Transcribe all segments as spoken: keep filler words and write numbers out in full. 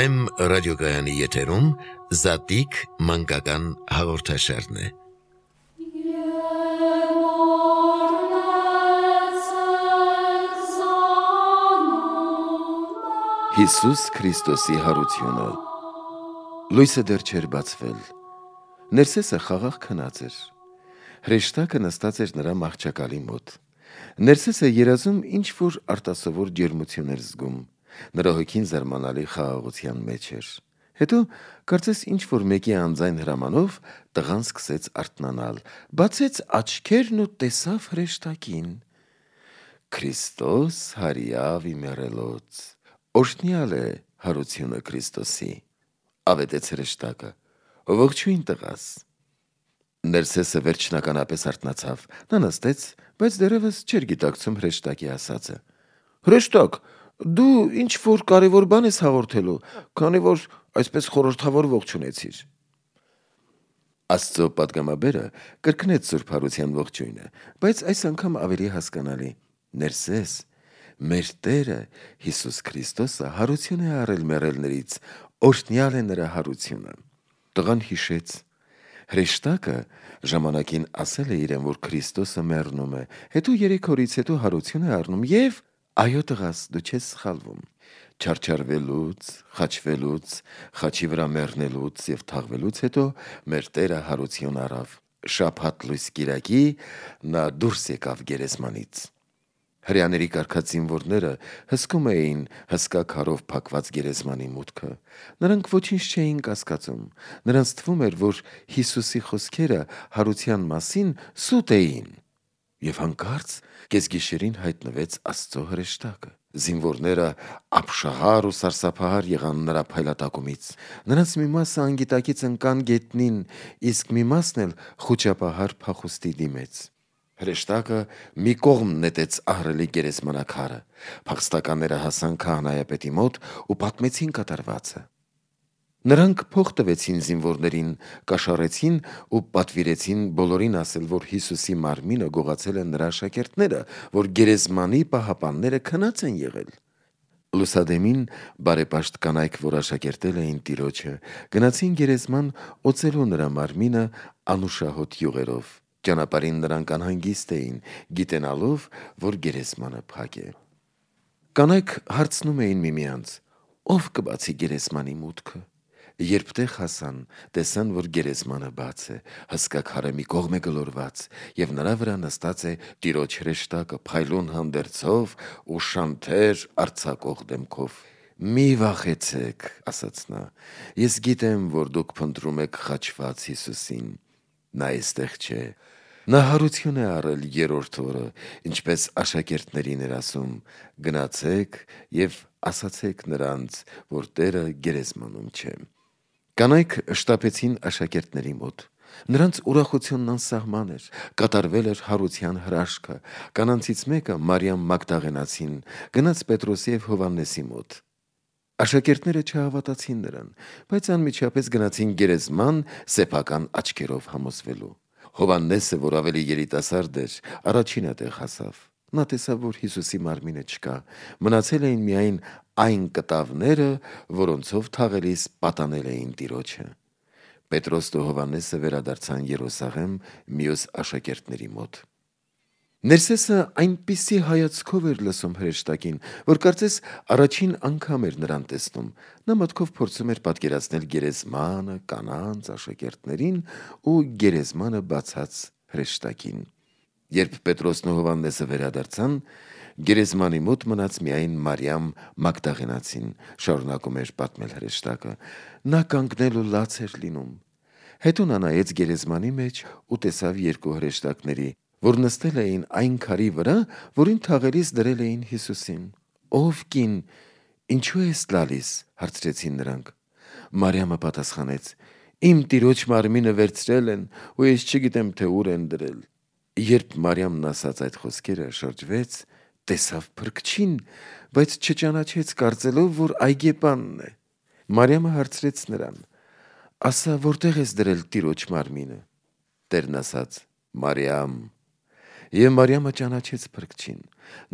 Վեմ ռադիոգայանի եթերում Զատիկ մանկական հաղորդաշարն է։ Հիսուս Քրիստոսի հարությունը։ Լույսը դեռ չէր բացվել։ Ներսեսը խաղաղ քնած էր։ Հրեշտակը նստած էր նրա մահճակալի մոտ։ Ներսեսը երազում ինչ-որ արտասովոր ջերմություն էր զգում։ Նրա հոգին զարմանալի խաղաղության մեջ էր։ Հետո կարծես ինչ-որ մեկի անձայն հրամանով տղան սկսեց արթնանալ, բացեց աչքերն ու տեսավ հրեշտակին։ Քրիստոս հարյավ իմերելոց։ Օրհնյալ է հարությունը Քրիստոսի, ավետեց հրեշտակը։ Ողջույն տղաս։ Ներսեսը վերջնականապես արթնացավ։ Նա նստեց, բայց դեռևս չէր գիտակցում հրեշտակի ասածը։ Հրեշտակ, դու ինչ որ կարևոր բան ես հաղորդելու, քանի որ այսպես խորհրդավոր ողջունեցիր։ Աստծո պատգամաբերը կրկնեց Սուրբ Հարության ողջույնը, բայց այս անգամ ավելի հասկանալի։ Ներսես, մեր Տերը Հիսուս Քրիստոսը հարություն է առել մեռելներից, օրհնյալ է նրա հարությունը։ Տղան հիշեց։ Հրեշտակը ժամանակին ասել է իրեն, որ Քրիստոսը մեռնում է, հետո երեք օրից հետո հարություն է առնում եւ այո տղաս, դու չես սխալվում։ Չարչարվելուց, խաչվելուց, խաչի վրա մեռնելուց եւ թաղվելուց հետո մեր Տերը հարություն առավ։ Շաբաթ լույս կիրակի նա դուրս եկավ գերեզմանից։ Հրեաների կարգած զինվորները հսկում էին հսկա քարով փակված գերեզմանի մուտքը։ Նրանք ոչինչ չէին կասկածում։ Նրանց թվում էր, որ Հիսուսի խոսքերը հարության մասին սուտ էին։ Եվ հանկարծ կեսգիշերին հայտնվեց Աստծո հրեշտակը։ Զինվորները ապշահար ու սարսափահար եղան նրա փայլատակումից։ Նրանց մի մասը անգիտակից ընկան գետնին, իսկ մի մասն էլ խուճապահար փախուստի դիմեց։ Հրեշտակը մի կողմ նետեց ահռելի գերեզմանակարը։ Փախստականները հասան քահանայապետի մոտ ու պատմեցին կատարվածը։ Նրանք փող տվեցին զինվորներին, կաշառեցին ու պատվիրեցին բոլորին ասել, որ Հիսուսի մարմինը գողացել են նրա աշակերտները, որ գերեզմանի պահապանները քնած են եղել։ Լուսադեմին բարեպաշտ կանայք, որ աշակերտել էին Տիրոջը, գնացին գերեզման օծելու նրա մարմինը անուշահոտ յուղերով։ Ճանապարհին նրանք անհանգիստ էին, գիտենալով, որ գերեզմանը փակ է։ Կանայք հարցնում էին միմյանց. ով կբացի գերեզմանի մուտքը։ Երբ տեղ հասան, տեսան, որ գերեզմանը բաց է, հսկա քարը մի կողմ է գլորված, եւ նրա վրա նստած է Տիրոջ հրեշտակը փայլուն հանդերձով ու շանթեր արձակող դեմքով։ Մի վախեցեք, ասաց նա, ես գիտեմ, որ դուք փնտրում եք խաչված Հիսուսին։ Նա այստեղ չէ։ Նա հարություն է առել երրորդ օրը, ինչպես աշակերտներին էր ասում. գնացեք եւ ասացեք նրանց, որ Տերը գերեզմանում չէ։ Կանայք շտապեցին աշակերտների մոտ։ Նրանց ուրախությունն անսահման էր, կատարվել էր հարության հրաշքը։ Կանանցից մեկը, Մարիամ Մագդաղենացին, գնաց Պետրոսի եւ Հովհաննեսի մոտ։ Աշակերտները չհավատացին նրան, բայց անմիջապես գնացին գերեզման սեփական աչքերով համոզվելու։ Հովհաննեսը, որ ավելի երիտասարդ էր, առաջինը տեղ հասավ։ Նա տեսավ, որ Հիսուսի մարմինը չկա, մնացել էին միայն այն կտավները, որոնցով թաղելիս պատանել էին Տիրոջը։ Պետրոսն ու Հովհաննեսը վերադարձան Երուսաղեմ մյուս աշակերտների մոտ։ Ներսեսը այնպիսի հայացքով էր լսում հրեշտակին, որ կարծես առաջին անգամ էր նրան տեսնում։ Նա մտքով փորձում էր պատկերացնել գերեզմանը, կանանց, աշակերտներին ու գերեզմանը բացած հրեշտակին։ Երբ Պետրոսն ու Հովհաննեսը վերադարձան, գերեզմանի մոտ մնաց միայն Մարիամ Մագդաղենացին, շարունակում էր պատմել հրեշտակը։ Նա կանգնել ու լաց էր լինում։ Հետո նա նայեց գերեզմանի մեջ ու տեսավ երկու հրեշտակների, որ նստել էին այն քարի վրա, որին թաղելիս դրել էին Հիսուսին։ Ով կին, ինչու ես լալիս, հարցրեցին նրանք։ Մարիամը պատասխանեց. Իմ Տիրոջ մարմինը վերցրել են ու ես չգիտեմ, թե ուր են դրել։ Երբ Մարիամն ասաց այդ խոսքերը, շրջվեց, տեսավ փրկչին, բայց չճանաչեց, կարծելով, որ այգեպանն է։ Մարիամը հարցրեց նրան. ասա, որտեղ ես դրել Տիրոջ մարմինը։ Տերն ասաց. Մարիամ։ Եվ Մարիամը ճանաչեց փրկչին։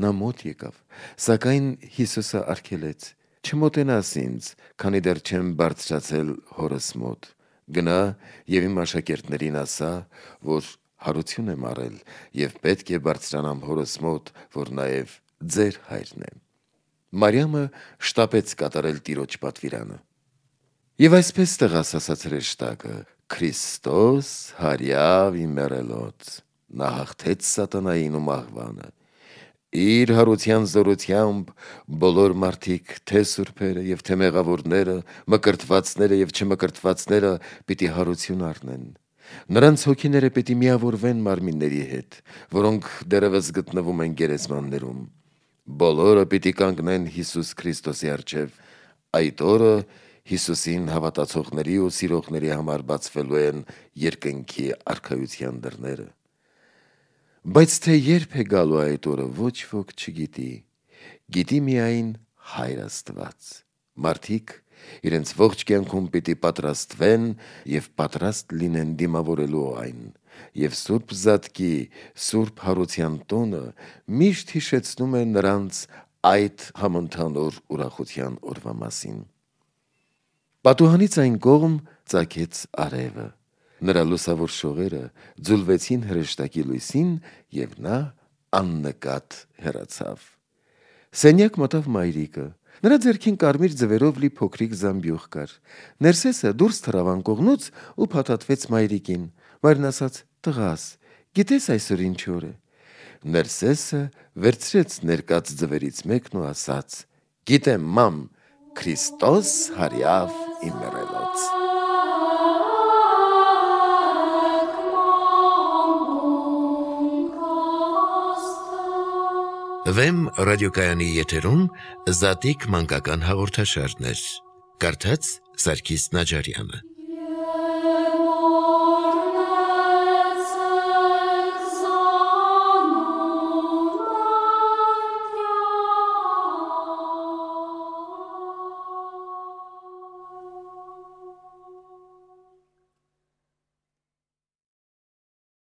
Նա մոտ եկավ, սակայն Հիսուսը արգելեց. Չմոտենաս ինձ, քանի դեռ չեմ բարձրացել հորս մոտ։ Գնա եւ իմ աշակերտներին ասա, որ հարություն եմ առել եւ պետք է բարձրանամ հորս մոտ, որ նաեւ ձեր հայրն է։ Մարիամը շտապեց կատարել տիրոջ պատվիրանը։ Եվ այսպես տեղասասած հրեշտակը. Քրիստոս հարյավ իմերելոց, նա հաղթեց սատանային ու մահվանը։ Իր հարության զորությամբ բոլոր մարդիկ, թե սուրբերը եւ թե մեղավորները, մկրտվածները եւ չմկրտվածները պիտի հարություն առնեն։ Նրանց հոգիները պիտի միավորվեն մարմինների հետ, որոնք դեռևս գտնվում են գերեզմաններում։ Բոլորը պիտի կանգնեն Հիսուս Քրիստոսի առջև։ Այդ օրը Հիսուսին հավատացողների ու սիրողների համար բացվելու են երկնքի արքայության դռները։ Բայց թե երբ է գալու այդ օրը, ոչ ոք չգիտի, գիտի միայն Հայր Աստված։ Մարդիկ իրենց ողջ կյանքում պիտի պատրաստվեն եւ պատրաստ լինեն դիմավորելու այն, եւ Սուրբ Զատկի, Սուրբ Հարության տոնը միշտ հիշեցնում է նրանց այդ համընդհանուր ուրախության օրվա մասին։ Պատուհանից այն կողմ ծագեց արևը։ Նրա լուսավոր շողերը ձուլվեցին հրեշտակի լույսին եւ նա աննկատ հեռացավ։ Սենյակ մտավ մայրիկը։ Նրա ձեռքին կարմիր ձվերով լի փոքրիկ զամբյուղ կար։ Ներսեսը դուրս թռավ անկողնուց ու փաթաթվեց մայրիկին։ Մայրն ասաց. «Տղաս, գիտես այսօր ինչ օր է»։ Ներսեսը վերցրեց ներկած ձվերից մեկն ու ասաց. «Գիտեմ, մամ, Քրիստոս հարյավ իմերելոց»։ Վեմ ռադիոկայանի եթերում Զատիկ մանկական հաղորդաշարներ։ Կարդաց Սարգիս Նաջարյանը։